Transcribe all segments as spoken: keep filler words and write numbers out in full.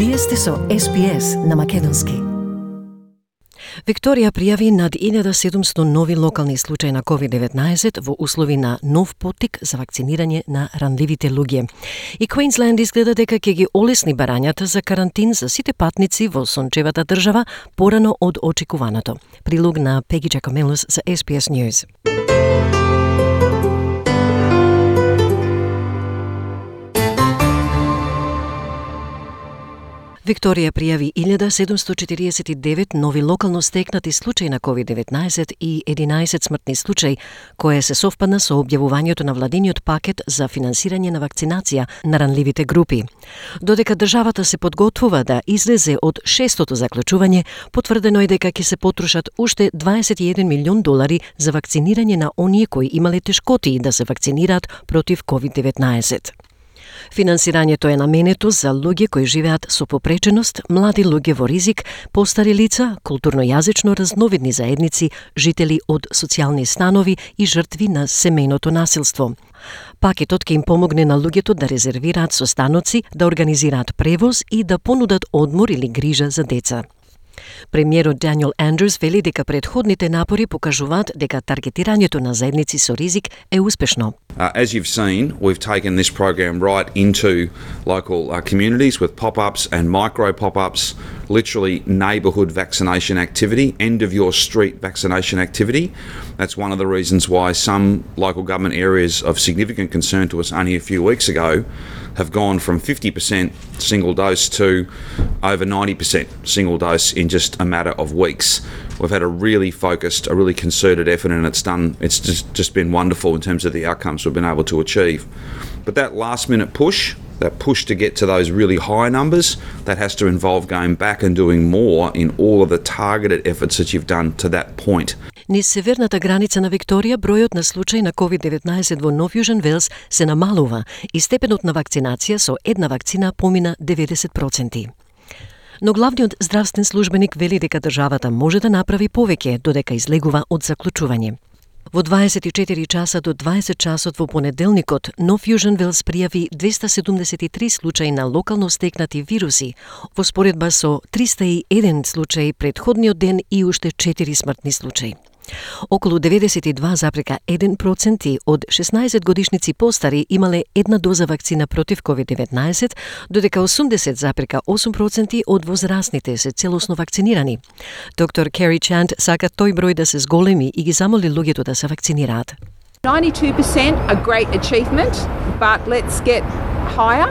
Вие сте со Ес Би Ес на македонски. Викторија пријави над илјада и седумстотини нови локални случаи на ковид деветнаесет во услови на нов поттик за вакцинирање на ранливите луѓе. И Квинсленд изгледа дека ќе ги олесни барањата за карантин за сите патници во сончевата држава порано од очекуваното. Прилог на Пеги Джакомелос за Ес Би Ес News. Викторија пријави илјада седумстотини четиридесет и девет нови локално стекнати случаи на ковид деветнаесет и единаесет смртни случаи, кое се совпадна со објавувањето на владиниот пакет за финансирање на вакцинација на ранливите групи. Додека државата се подготвува да излезе од шестото заклучување, потврдено е дека ќе се потрошат уште дваесет и еден милион долари за вакцинирање на оние кои имале тешкотии да се вакцинираат против ковид деветнаесет. Финансирањето е наменето за луѓе кои живеат со попреченост, млади луѓе во ризик, постари лица, културно-јазично разновидни заедници, жители од социјални станови и жртви на семејното насилство. Пакетот ќе им помогне на луѓето да резервираат состаноци, да организираат превоз и да понудат одмор или грижа за деца. Премиерот Даниел Андрус вели дека претходните напори покажуваат дека таргетирањето на заедници со ризик е успешно. Uh, as you've seen, we've taken this program right into local uh, communities with pop-ups and micro pop-ups, literally neighbourhood vaccination activity, end of your street vaccination activity. That's one of the reasons why some local government areas of significant concern to us only a few weeks ago have gone from fifty percent single dose to over ninety percent single dose in just a matter of weeks. We've had a really focused, a really concerted effort, and it's done. It's just, just been wonderful in terms of the outcomes we've been able to achieve. But that last minute push, that push to get to those really high numbers, that has to involve going back and doing more in all of the targeted efforts that you've done to that point. Низ северната граница на Викторија, бројот на случаи на ковид деветнаесет во Нов Јужен Велс се намалува и степенот на вакцинација со една вакцина помина деветдесет проценти. Но главниот здравствен службеник вели дека државата може да направи повеќе додека излегува од заклучување. Во дваесет и четири часа до дваесет часот во понеделникот, Нов Јужен Велс пријави двеста седумдесет и три случаи на локално стекнати вируси, во споредба со триста и еден случаи претходниот ден и уште четири смртни случаи. Околу деветдесет и два запрека еден проценти од шеснаесет годишници постари имале една доза вакцина против ковид деветнаесет, додека осумдесет запрека осум проценти од возрастните се целосно вакцинирани. Доктор Кери Чант сака тој број да се зголеми и ги замоли луѓето да се вакцинираат. ninety-two percent a great achievement, but let's get higher.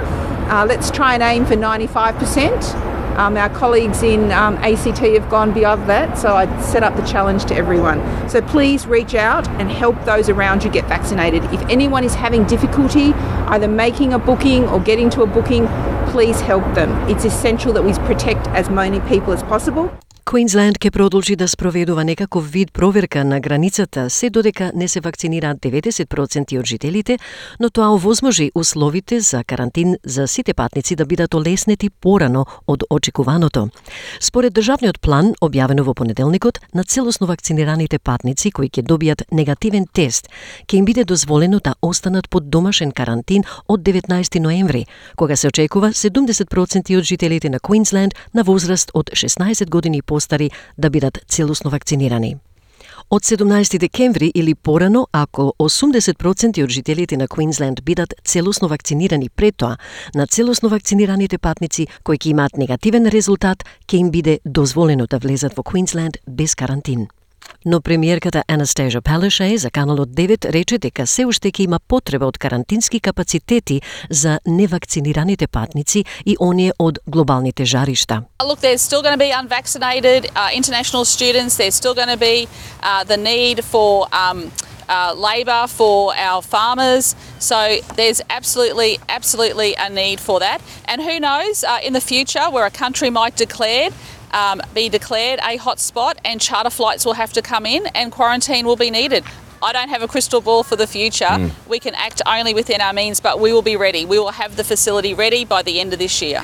Uh, let's try and aim for ninety-five percent. Um, our colleagues in um, A C T have gone beyond that, so I set up the challenge to everyone. So please reach out and help those around you get vaccinated. If anyone is having difficulty either making a booking or getting to a booking, please help them. It's essential that we protect as many people as possible. Квинсленд ќе продолжи да спроведува некаков вид проверка на границата се додека не се вакцинираат деветдесет проценти од жителите, но тоа овозможи условите за карантин за сите патници да бидат олеснети порано од очекуваното. Според државниот план, објавено во понеделникот, на целосно вакцинираните патници кои ќе добијат негативен тест, ќе им биде дозволено да останат под домашен карантин од деветнаесети ноември, кога се очекува седумдесет проценти од жителите на Квинсленд на возраст од шеснаесет години постари да бидат целосно вакцинирани. Од седумнаесети декември или порано, ако осумдесет проценти од жителите на Квинсленд бидат целосно вакцинирани пред тоа, на целосно вакцинираните патници кои ќе имаат негативен резултат, ќе им биде дозволено да влезат во Квинсленд без карантин. Но премиерката Анастасија Палашај за Каналот девет рече дека се уште ќе има потреба од карантински капацитети за невакцинираните патници и оние од глобалните жаришта. Look, there's still going to be unvaccinated uh, international students. There's still going to be uh, the need for um, uh, labour for our farmers. So there's absolutely, absolutely a need for that. And who knows, uh, in the future, where a country might declare Um, be declared a hotspot and charter flights will have to come in and quarantine will be needed. I don't have a crystal ball for the future. Mm. We can act only within our means, but we will be ready. We will have the facility ready by the end of this year.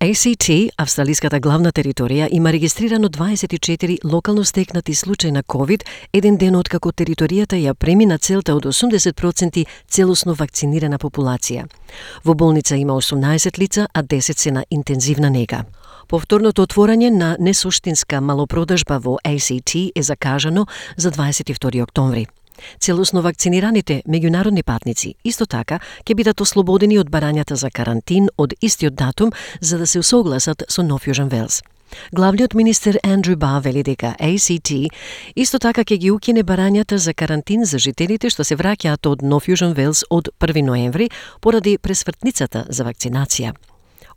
A C T, австралиската главна територија, има регистрирано дваесет и четири локално стекнати случаи на ковид, еден ден откако територијата ја премина целта од осумдесет проценти целосно вакцинирана популација. Во болница има осумнаесет лица, а десет се на интензивна нега. Повторното отворање на несуштинска малопродажба во A C T е закажано за дваесет и втори октомври. Целосно вакцинираните меѓународни патници исто така ќе бидат ослободени од барањата за карантин од истиот датум за да се усогласат со Нов Јужен Велс. Главниот министер Андрю Барр вели дека A C T исто така ќе ги укине барањата за карантин за жителите што се враќаат од Нов Јужен Велс од први ноември поради пресвртницата за вакцинација.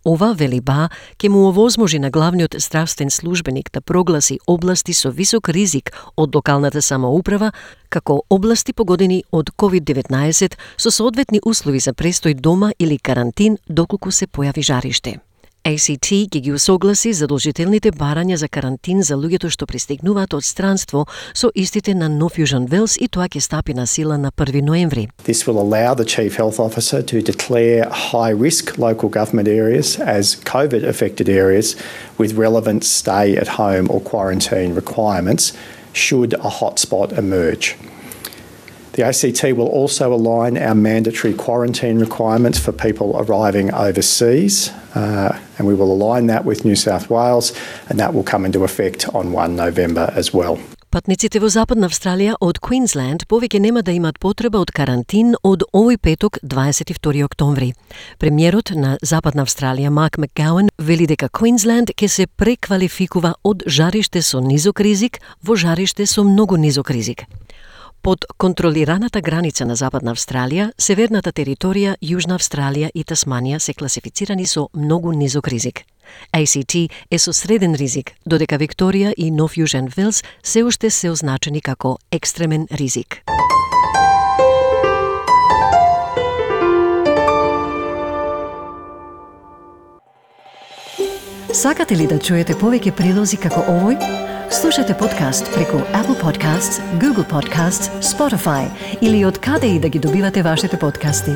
Ова, вели Ба, ќе му овозможи на главниот здравствен службеник да прогласи области со висок ризик од локалната самоуправа како области погодени од ковид деветнаесет со соодветни услови за престој дома или карантин доколку се појави жариште. A C T ќе ги усогласи задолжителните барања за карантин за луѓето што пристигнуваат од странство со истите на Нов Јужен Велс и тоа ќе стапи на сила на први ноември. This will allow the Chief Health Officer to declare high-risk local government areas as COVID-affected areas with relevant stay-at-home or quarantine requirements should a hotspot emerge. The A C T will also align our mandatory quarantine requirements for people arriving overseas, uh, and we will align that with New South Wales, and that will come into effect on first November as well. Патниците во Западна Австралија од Квинсленд повеќе нема да имат потреба од карантин од овој петок, дваесет и втори октомври. Премиерот на Западна Австралија Марк Макгауан вели дека Квинсленд ќе се преквалификува од жариште со низок ризик во жариште со многу низок ризик. Под контролираната граница на Западна Австралија, Северната територија, Јужна Австралија и Тасманија се класифицирани со многу низок ризик. A C T е со среден ризик, додека Викторија и Нов Јужен Велс се уште се означени како екстремен ризик. Сакате ли да чуете повеќе прилози како овој? Слушате подкаст преку Apple Podcasts, Google Podcasts, Spotify или од каде и да ги добивате вашите подкасти.